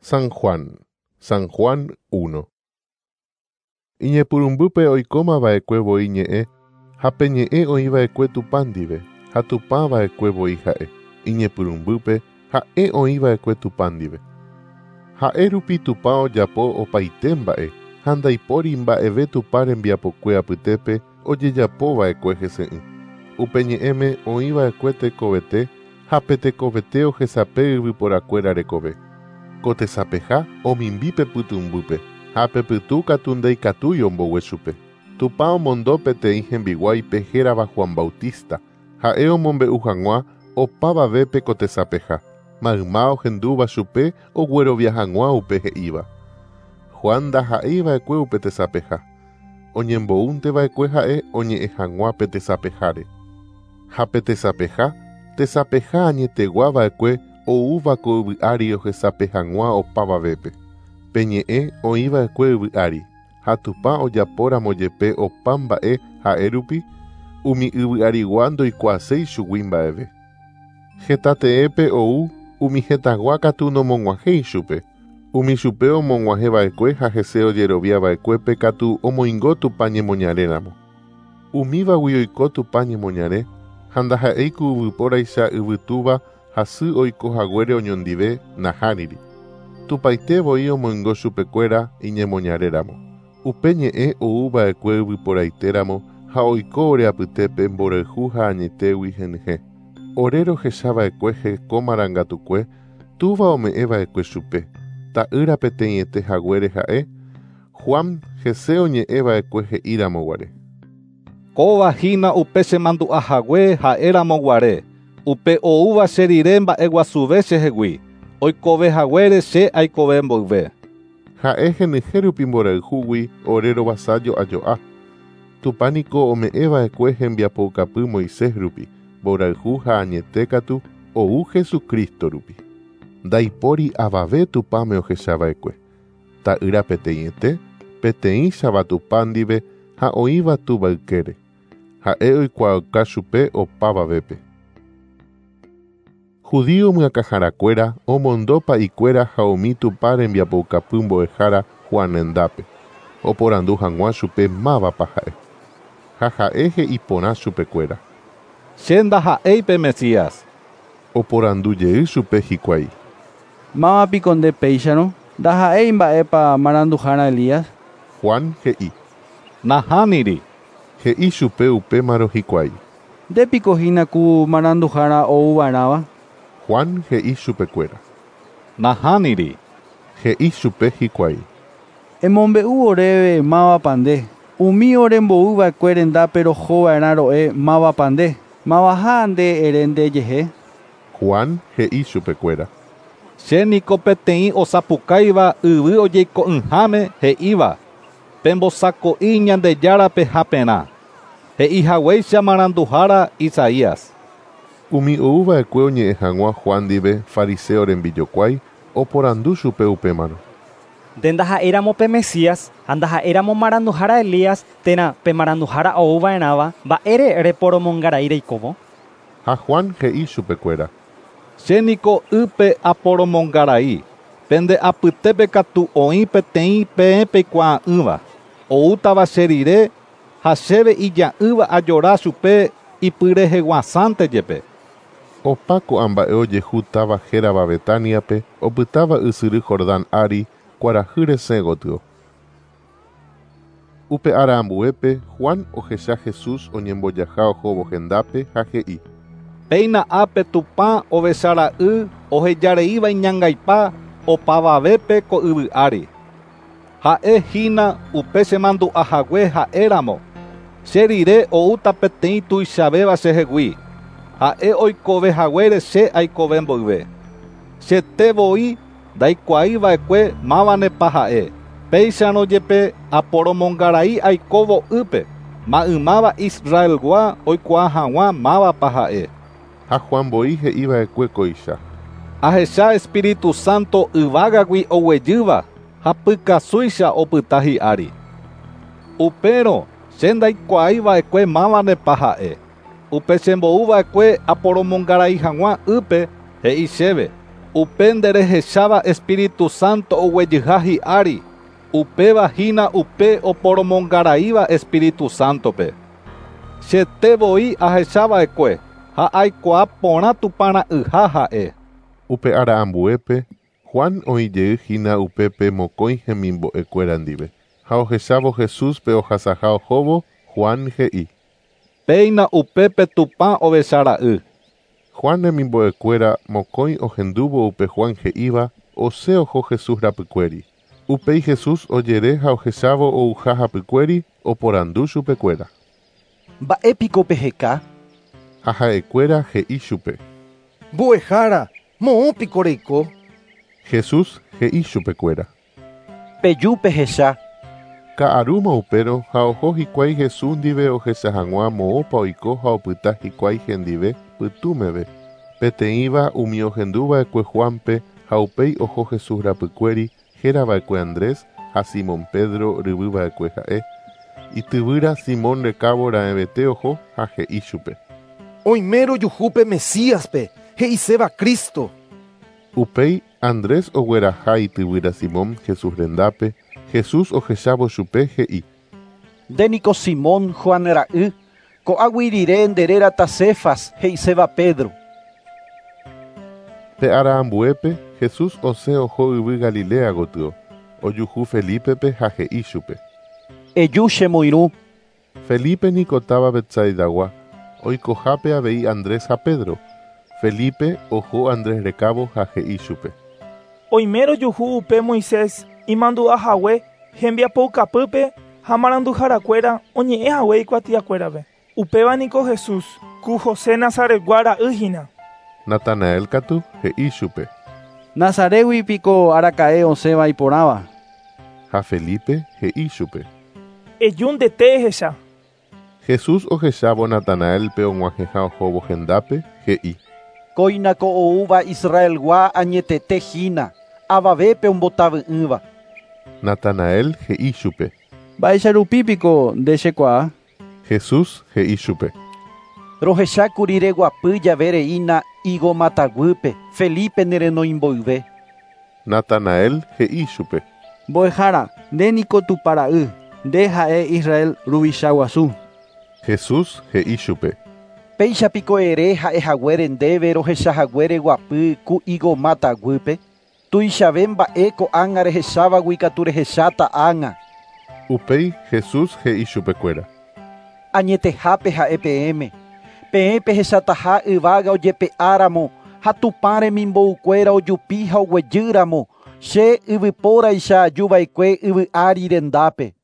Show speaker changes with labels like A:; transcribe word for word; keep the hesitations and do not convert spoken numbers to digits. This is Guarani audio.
A: San Juan, San Juan uno. Iñepyrũmbýpe oikómava'ekue voi ñe'ẽ ha pe ñe'ẽ oĩva'ekue Tupã ndive ha Tupãva'ekue voi ha'e. Iñepyrũmbýpe ha'e oĩva'ekue Tupã ndive. Ha'e rupi Tupã ojapo opaite mba'e ha ndaipóri mba'eve Tupã rembiapokue apytépe ojejapova'ekue hese'ỹ. Upe ñe'ẽme oĩva'ekue tekovete ha pe tekovete ohesape yvyporakuéra rekove. Ko tesapeha omimbi pe pytũmbýpe ha pe pytũ katu ndaikatúi ombogue chupe. Tupã omondo peteĩ hembiguáipe hérava Juan Bautista, ha'e omombe'u hag̃ua opavavépe ko tesapeha, mayma ohendúva chupe oguerovia hag̃ua upe he'íva. Juan ndaha'eiva'ekue upe tesapeha, oñembo'únteva'ekue ha'e oñe'ẽ hag̃ua pe tesapeháre. Ha pe tesapeha, tesapeha añeteguava'ekue oúva ko yvy ári ohesape hag̃ua opavavépe. Pe ñe'ẽ oĩva'ekue yvy ári, ha Tupã ojapóramo jepe opa mba'e ha'e rupi, umi yvy arigua ndoikuaaséi chugui mba'eve. Heta teépe ou umi hetãgua katu nomog̃uahẽi chupe. Umi chupe omog̃uahẽva'ekue ha hese ojeroviava'ekuépe katu omoingo Tupã ñemoñaréramo. Umívagui oiko Tupã ñemoñare ha ndaha'éi ku yvypóraicha yvytúva ha sy oiko haguére oñondive nahániri. Tupãite voi omoingo chupekuéra iñemoñaréramo. Upe ñe'ẽ oúva'ekue yvyporaitéramo ha oiko ore apytépe mborayhu ha añetégui henyhẽ. Ore rohechava'ekue heko marangatukue túva ome'ẽva'ekue chupe. Ta'ýra peteĩete haguére ha'e, Juan hese oñe'ẽva'ekue he'íramo guare.
B: Kóva hína upe chemandu'ahague ha'éramo guare. Upe oúva che rire mba'eguasuve chehegui. Oikove haguére che aikove mboyve.
A: Ha'e henyhẽ rupi mborayhúgui ore rovasa jo'ajo'a. Tupã niko ome'ẽva'ekue hembiapoukapy Moisés rupi, mborayhu ha añete katu ou Jesucristo rupi. Ndaipóri avave Tupãme ohechava'ekue. Ta'ýra peteĩete, peteĩchava Tupã ndive ha oĩva túva ykére. Ha'e oikuaauka chupe opavavépe. Judío myakãharakuéra omondo pa'ikuéra ha umi Tupã rembiapoukapy mbo'ehára Juan rendápe. Oporandu hag̃ua chupe mávapa ha'e. Ha ha'e he'i porã chupekuéra.
B: Che ndaha'éi pe Mesías.
A: Oporandu jey chupe hikuái.
C: Mávapiko nde péicharõ, ndaha'éi mba'épa maranduhára Elías.
A: Juan he'i.
B: Nahániri.
A: He'i chupe upémarõ hikuái.
C: Ndépiko hína ku maranduhára ouva'erãva.
A: Juan he'i chupekuéra.
B: Nahániri.
A: He'i chupe hikuái.
C: Emombe'u oréve mávapa nde. Umi orembo'uva'ekue rendápe rohova'erã ro'e mávapa nde. Mavaha nde ere ndejehe.
A: Juan he'i chupekuéra.
B: Che niko peteĩ osapukáiva yvy ojeiko'ỹháme he'íva. Pembosako'i Ñandejárape haperã. He'i haguéicha maranduhára Isaías.
A: Umi oúva'ekue oñe'ẽ hag̃ua Juan ndive fariseo rembijokuái oporandu chupe upémarõ.
D: Nde ndaha'éramo pe Mesías ha ndaha'éramo maranduhára Elías térã pe maranduhára ouva'erãva mba'ére reporomongarai reikóvo.
A: Ha Juan he'i chupekuéra.
B: Che niko ýpe aporomongarai. Pende apytépe katu oĩ peteĩ peẽ peikuaa'ỹva. Oútava che rire ha chéve ija'ỹva ajora chupe ipyreheguasánte jepe.
A: Opa ko'ã mba'e ojehu táva hérava Betániape opytáva ysyry Jordán ári kuarahy resẽ gotyo. Upe ára ambuépe Juan ohecha Jesús oñembojaha ohóvo hendápe ha he'i.
B: Péina ápe Tupã ovechara'y ohejareíva iñangaipa opavavépe ko yvy ári. Ha'e hína upe chemandu'ahague ha'éramo. Che rire oúta peteĩ tuichavéva chehegui. Ha'e oikove haguére che aikove mboyve. Chete voi ndaikuaiva'ekue mávanepa ha'e. Péicharõ jepe aporomongarai aikóvo ýpe. Maymáva Israelgua oikuaa hag̃ua mávapa ha'e.
A: Ha Juan voi he'iva'ekue kóicha.
B: Ahecha Espíritu Santo yvágagui oguejýva ha pykasúicha opyta hi'ári. Upérõ che ndaikuaiva'ekue mávanepa ha'e. Upe chembo'uva'ekue aporomongarai hag̃ua ýpe he'i chéve. Upe nde rehecháva Espíritu Santo oguejyha hi'ári, upéva hína upe oporomongaraíva Espíritu Santope. Chete voi ahechava'ekue ha aikuaa porã Tupãra'yha ha'e.
A: Upe ára ambuépe, Juan oĩjey hína upépe mokõi hemimbo'ekuéra ndive. Ha ohechávo Jesúspe ohasaha ohóvo, Juan he'i:
B: Péina upépe Tupã ovechara'y.
A: Juan hemimbo'ekuéra mokõi ohendúvo upe Juan he'íva, osẽ oho Jesús rapykuéri. Upéi Jesús ojere ha ohechávo ouha hapykuéri, oporandu chupekuéra.
E: Mba'épiko peheka?
A: Ha ha'ekuéra he'i chupe.
F: Mbo'ehára, moõpiko reiko?
A: Jesús he'i chupekuéra.
E: Peju pehecha.
A: Ka'arúma upérõ ha oho hikuái Jesús ndive ohecha hag̃ua moõpa oiko ha opyta hikuái hendive pytũmeve. Peteĩva umi ohenduva'ekue Juanpe ha upéi oho Jesús rapykuéri hérava'ekue Andrés ha Simón Pedro ryvyva'ekue ha'e. Ityvýra Simón rekávo raẽvete oho ha he'i chupe.
F: Oime rojuhúpe Mesíaspe, he'iséva Cristo.
A: Upéi Andrés ogueraha ityvýra Simón Jesús rendápe, Jesús ohechávo chupe he'i.
E: Ndéniko Simón Juan ra'y, ko'águi rire nde rérata Cefas, he'iséva Pedro.
A: Pe ára ambuépe, Jesús osẽ oho yvy Galilea gotyo, ojuhu Felípepe ha he'i chupe.
E: Eju chemoirũ.
A: Felipe niko táva Betsaidagua, oikohápe avei Andrés ha Pedro. Felipe oho Andrés rekávo ha he'i chupe.
G: Oime rojuhu upe Moisés imandu'ahague hembiapoukapýpe ha maranduharakuéra oñe'ẽhague ikuatiakuérape. Upéva niko Jesús, ku José Nazaretgua ra'y hína.
A: Natanael katu he'i chupe.
C: Nazaretgui piko araka'e osẽva iporãva.
A: Ha Felipe he'i chupe.
G: Eju ndete ehecha.
A: Jesús ohechávo Natanaelpe og̃uahẽha ohóvo hendápe, he'i.
E: Kóinako oúva Israelgua añetete hína, avavépe ombotavy'ỹva.
A: Natanael he'i chupe.
C: Mba'éicha piko nde chekuaa?
A: Jesús he'i chupe.
E: Rohechákuri reguapy jave reína higo mataguýpe, Felipe nerenoimboyve.
A: Natanael he'i chupe.
C: Mbo'ehára, nde niko Tupãra'y, nde ha'e Israel ruvicha guasu.
A: Jesús he'i chupe.
E: Péicha piko ere ha'ehaguére ndéve rohechahague reguapy ku higo mataguýpe. Tuichave mba'e ko'ág̃a rehechávagui katu rehecháta ág̃a.
A: Upéi Jesús he'i chupekuéra.
E: Añetehápe ha'e peẽme. Peẽ pehechataha yvága ojepe'áramo ha Tupã remimboukuéra ojupi ha oguejýramo che yvypóraicha ajuva'ekue yvy ári rendápe.